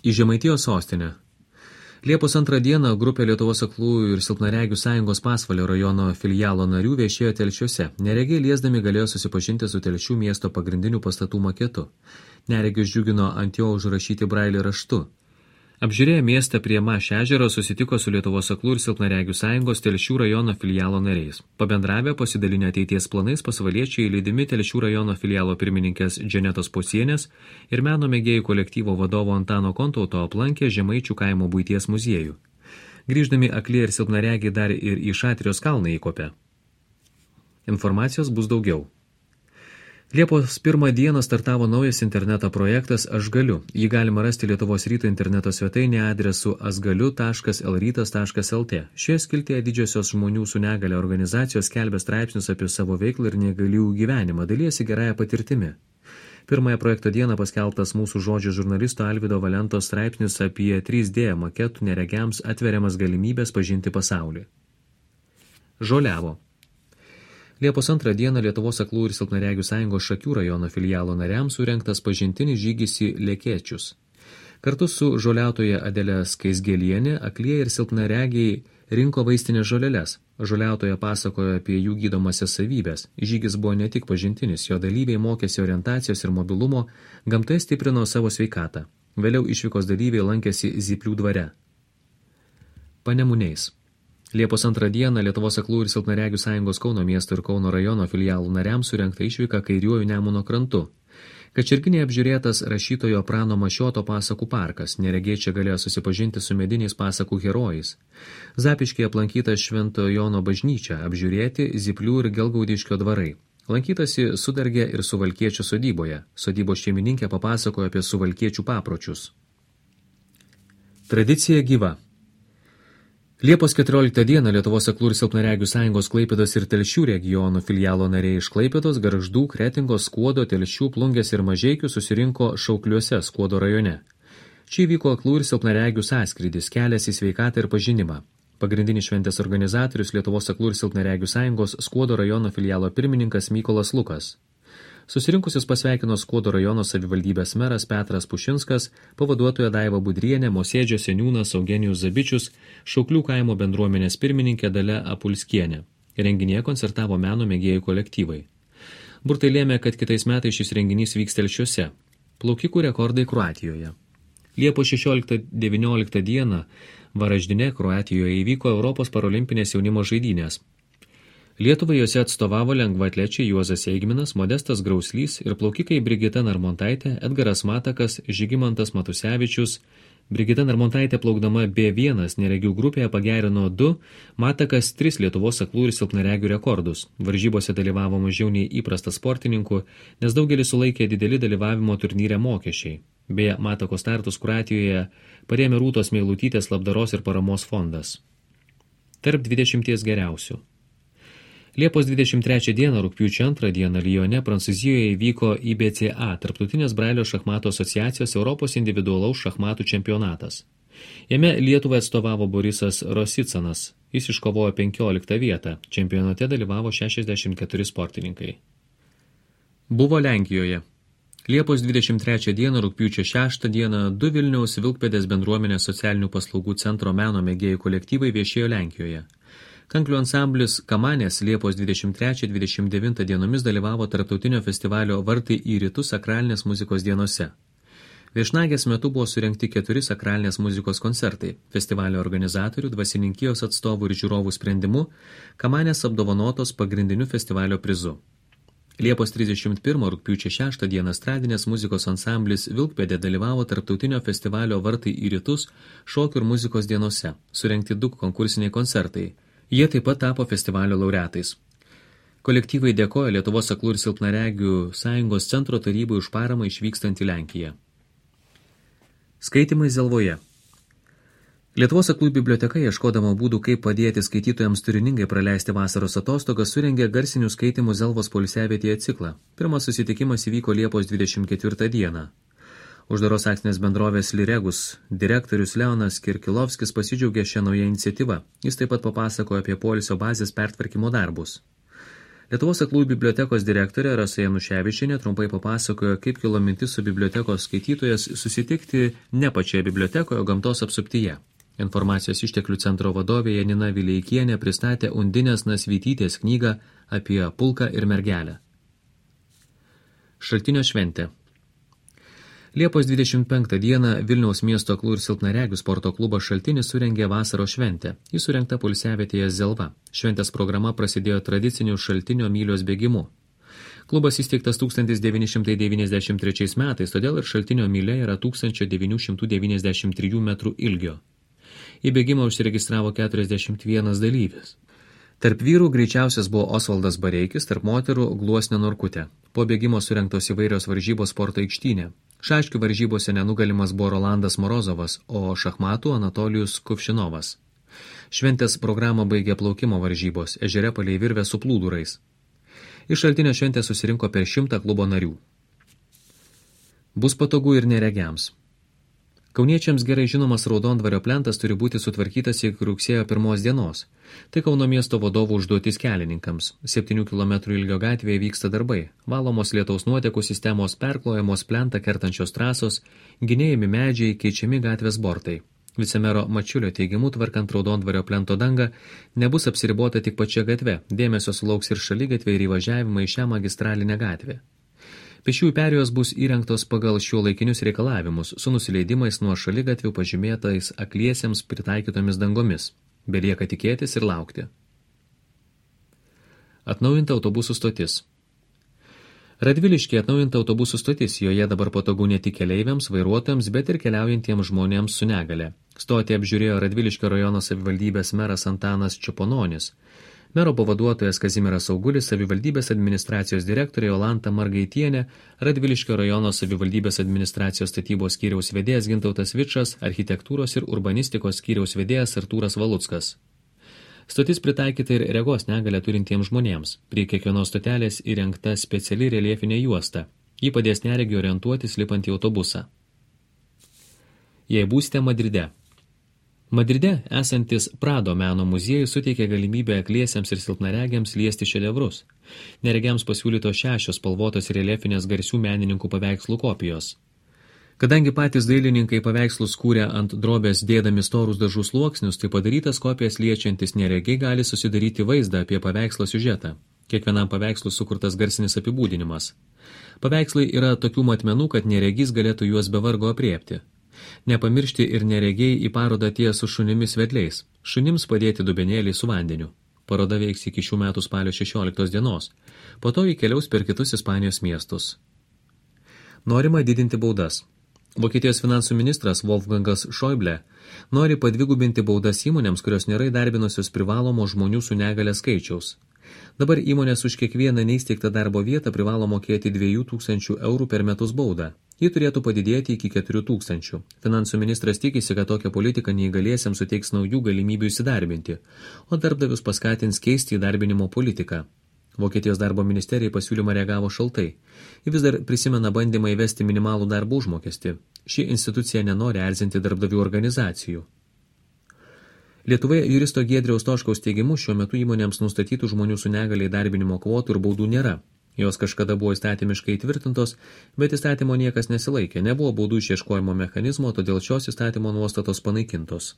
Į Žemaitijos sostinę. Liepos 2 dieną grupė Lietuvos aklųjų ir silpnaregių sąjungos Pasvalio rajono filialo narių viešėjo Telšiuose. Neregiai liesdami galėjo susipažinti su Telšių miesto pagrindinių pastatų maketu. Neregius džiugino ant jo užrašyti brailio raštu. Apžiūrėję miestą prie Maš ežero susitiko su Lietuvos aklų ir silpnaregių sąjungos Telšių rajono filialo nariais. Pabendravę pasidalinę ateities planais, pasvaliečiai lydimi Telšių rajono filialo pirmininkės Dženetos Pocienės ir meno mėgėjų kolektyvo vadovo Antano Kontauto aplankė Žemaičių kaimo buities muziejų. Grįždami akli ir silpnaregiai dar ir į Šatrijos kalną įkopė. Informacijos bus daugiau. Liepos 1 dieną startavo naujas interneto projektas Aš galiu. Jį galima rasti Lietuvos ryto interneto svetainėje adresu asgaliu.lrytas.lt. Šioje skiltyje didžiosios žmonių su negale organizacijos skelbia straipsnius apie savo veiklą ir negalių gyvenimą, dalijasi gerąją patirtimi. Pirmąją projekto dieną paskelbtas mūsų žodžio žurnalisto Alvydo Valentos straipsnius apie 3D maketų neregiams atveriamas galimybės pažinti pasaulį. Žoliavo. Liepos 2 dieną Lietuvos aklų ir silpnaregių sąjungos Šakių rajono filialo nariams surengtas pažintinis žygis į Lekėčius. Kartu su žoliautoja Adelė Skaisgelienė aklieji ir silpnaregiai rinko vaistinės žoleles. Žoliautoja pasakojo apie jų gydomasias savybės. Žygis buvo ne tik pažintinis, jo dalyviai mokėsi orientacijos ir mobilumo, gamtoje stiprino savo sveikatą. Vėliau išvykos dalyviai lankėsi Zyplių dvare. Panemuniais. Liepos 2 dieną Lietuvos aklų ir silpnaregių sąjungos Kauno miesto ir Kauno rajono filialų nariams surengta išvyka kairiuoju Nemuno krantu. Kačerginėje apžiūrėtas rašytojo Prano Mašioto pasakų parkas. Neregiai čia galėjo susipažinti su mediniais pasakų herojais. Zapiškyje aplankyta Švento Jono bažnyčia, apžiūrėti Zyplių ir Gelgaudiškio dvarai. Lankytasi Sudargė ir Suvalkiečio sodyboje. Sodybos šeimininkė papasakojo apie suvalkiečių papročius. Tradicija gyva. Liepos 14 dieną Lietuvos aklų ir silpnaregių sąjungos Klaipėdos ir Telšių regionų filialo nariai iš Klaipėdos, Gargždų, Kretingos, Skuodo, Telšių, Plungės ir Mažeikių susirinko Šaukliuose, Skuodo rajone. Čia įvyko aklų ir silpnaregių sąskrydis, kelias į sveikatą ir pažinimą. Pagrindinis šventės organizatorius Lietuvos aklų ir silpnaregių sąjungos Skuodo rajono filialo pirmininkas Mykolas Lukas. Susirinkusius pasveikino Skuodo rajono savivaldybės meras Petras Pušinskas, pavaduotoja Daiva Budrienė, Mosėdžio seniūnas Eugenijus Zabičius, Šauklių kaimo bendruomenės pirmininkė Dalia Apulskienė. Renginyje koncertavo meno mėgėjų kolektyvai. Burtai lėmė, kad kitais metais šis renginys vyks Telšiuose. Plaukikų rekordai Kroatijoje. Liepos 16-19 dieną Varaždine, Kroatijoje įvyko Europos parolimpinės jaunimo žaidynės. Lietuvai jose atstovavo lengvaatlečiai Juozas Eigminas, Modestas Grauslys ir plaukikai Brigita Narmontaitė, Edgaras Matakas, Žygimantas Matusevičius. Brigita Narmontaitė plaukdama B1 neregių grupėje pagerino 2, Matakas 3 Lietuvos aklų ir silpnaregių rekordus. Varžybose dalyvavo mažiau nei įprasta sportininkų, nes daugelis sulaikė dideli dalyvavimo turnyre mokesčiai. Beje, Matako startus Kroatijoje parėmė Rūtos Meilutytės labdaros ir paramos fondas. Tarp 20 geriausių. Liepos 23 dieną, rugpjūčio 2 dieną Lyone, Prancūzijoje įvyko IBCA, Tarptautinės Brailio šachmatų asociacijos Europos individualaus šachmatų čempionatas. Jame Lietuvai atstovavo Borisas Rosicanas. Jis iškovojo 15 vietą. Čempionate dalyvavo 64 sportininkai. Buvo Lenkijoje. Liepos 23 dieną, rugpjūčio 6 dieną, 2 Vilniaus Vilkpėdės bendruomenės socialinių paslaugų centro meno mėgėjų kolektyvai viešėjo Lenkijoje. Kanklių ansamblis Kamanės Liepos 23-29 dienomis dalyvavo tarptautinio festivalio Vartai į rytus sakralinės muzikos dienose. Viešnagės metu buvo surengti 4 sakralinės muzikos koncertai. Festivalio organizatorių, dvasininkijos atstovų ir žiūrovų sprendimu Kamanės apdovanotos pagrindiniu festivalio prizu. Liepos 31 rugpjūčio 6 dieną estradinės muzikos ansamblis Vilkpėdė dalyvavo tarptautinio festivalio Vartai į rytus šokių ir muzikos dienose. Surengti 2 konkursiniai koncertai. Jie taip pat tapo festivalio laureatais. Kolektyvai dėkoja Lietuvos aklų ir silpnaregių sąjungos centro tarybai už paramą išvykstant į Lenkiją. Skaitymai Zelvoje. Lietuvos aklųjų biblioteka, ieškodama būdų, kaip padėti skaitytojams turiningai praleisti vasaros atostogas, surengė garsinių skaitymų Zelvos poilsiavietėje ciklą. Pirmas susitikimas įvyko Liepos 24 dieną. Uždaros akcinės bendrovės Liregus direktorius Leonas Kirkilovskis pasidžiaugė šią naują iniciatyvą. Jis taip pat papasakojo apie poilsio bazės pertvarkymo darbus. Lietuvos aklųjų bibliotekos direktorė Rasa Januševičienė trumpai papasakojo, kaip kilo mintis su bibliotekos skaitytojas susitikti ne pačioje bibliotekoje, o gamtos apsuptyje. Informacijos išteklių centro vadovė Janina Vileikienė pristatė Undinės Nasvytytės knygą apie pulką ir mergelę. Šaltinio šventė. Liepos 25 dieną Vilniaus miesto aklų ir silpnaregių sporto klubas Šaltinis surengė vasaros šventę. Ji surengta poilsiavietėje Zelva. Šventės programa prasidėjo tradiciniu Šaltinio mylios bėgimu. Klubas įsteigtas 1993 metais, todėl ir Šaltinio mylia yra 1993 metrų ilgio. Į bėgimą užsiregistravo 41 dalyvis. Tarp vyrų greičiausias buvo Osvaldas Bareikis, tarp moterų Gluosnė Norkutė. Po bėgimo surengtos įvairios varžybos sporto aikštyne. Šaškių varžybose nenugalimas buvo Rolandas Morozovas, o šachmatų Anatolijus Kuvšinovas. Šventės programą baigė plaukimo varžybos, ežere palei virvę su plūdurais. Iš Šaltinio šventę susirinko per 100 klubo narių. Bus patogu ir neregiams. Kauniečiams gerai žinomas Raudondvario plentas turi būti sutvarkytas iki rugsėjo 1 dienos. Tai Kauno miesto vadovų užduotis kelininkams. 7 km ilgio gatvėje vyksta darbai. Valomos lietaus nuotekų sistemos, perklojamos plentą kertančios trasos, gynėjami medžiai, keičiami gatvės bortai. Vicemero Mačiulio teigimu, tvarkant Raudondvario plento dangą, nebus apsiribota tik pačia gatve. Dėmesio sulauks ir šaligatvė ir įvažiavimai į šią magistralinę gatvę. Pėsčiųjų perėjos bus įrengtos pagal šiuolaikinius reikalavimus, su nusileidimais nuo šaligatvių pažymėtais akliesiems pritaikytomis dangomis. Belieka tikėtis ir laukti. Atnaujinta autobusų stotis. Radviliškyje atnaujinta autobusų stotis, joje dabar patogu ne tik keleiviams, vairuotojams, bet ir keliaujantiems žmonėms su negale. Stotį apžiūrėjo Radviliškio rajono savivaldybės meras Antanas Čiupononis. Mero pavaduotojas Kazimieras Augulis, savivaldybės administracijos direktorė Jolanta Margaitienė, Radviliškio rajono savivaldybės administracijos statybos skyriaus vedėjas Gintautas Vičas, architektūros ir urbanistikos skyriaus vedėjas Artūras Valuckas. Stotis pritaikyta ir regos negalę turintiems žmonėms. Prie kiekvienos stotelės įrengta speciali reliefinė juosta. Ji padės neregiui orientuotis lipant į autobusą. Jei būsite Madride. Madride esantis Prado meno muziejus suteikia galimybę akliesiems ir silpnaregiams liesti šedevrus. Neregiams pasiūlytos 6 spalvotos reliefinės garsių menininkų paveikslų kopijos. Kadangi patys dailininkai paveikslus kūrė ant drobės dėdami storus dažų sluoksnius, tai padarytas kopijas liečiantis neregiai gali susidaryti vaizdą apie paveikslo siužetą. Kiekvienam paveikslui sukurtas garsinis apibūdinimas. Paveikslai yra tokių matmenų, kad neregys galėtų juos be vargo apriepti. Nepamiršti ir neregiai į parodą atėjo su šunimis vedliais. Šunims padėti dubenėlį su vandeniu. Paroda veiks iki šių metų spalio 16 dienos. Po to įkeliaus per kitus Ispanijos miestus. Norima didinti baudas. Vokietijos finansų ministras Wolfgangas Schäuble nori padvigubinti baudas įmonėms, kurios nėra įdarbinusios privalomo žmonių su negale skaičiaus. Dabar įmonės už kiekvieną neįsteigtą darbo vietą privalo mokėti 2000 eurų per metus baudą. Ji turėtų padidėti iki 4000. Finansų ministras tikisi, kad tokia politika neįgaliesiems suteiks naujų galimybių įsidarbinti, o darbdavius paskatins keisti įdarbinimo politiką. Vokietijos darbo ministerijai pasiūlymą reagavo šaltai. Ji vis dar prisimena bandymą įvesti minimalų darbo užmokestį. Ši institucija nenori erzinti darbdavių organizacijų. Lietuvoje juristo Giedriaus Toškaus teigimu šiuo metu įmonėms nustatytų žmonių su negalia įdarbinimo kvotų ir baudų nėra. Jos kažkada buvo įstatymiškai įtvirtintos, bet įstatymo niekas nesilaikė, nebuvo baudų išieškojimo mechanizmo, todėl šios įstatymo nuostatos panaikintos.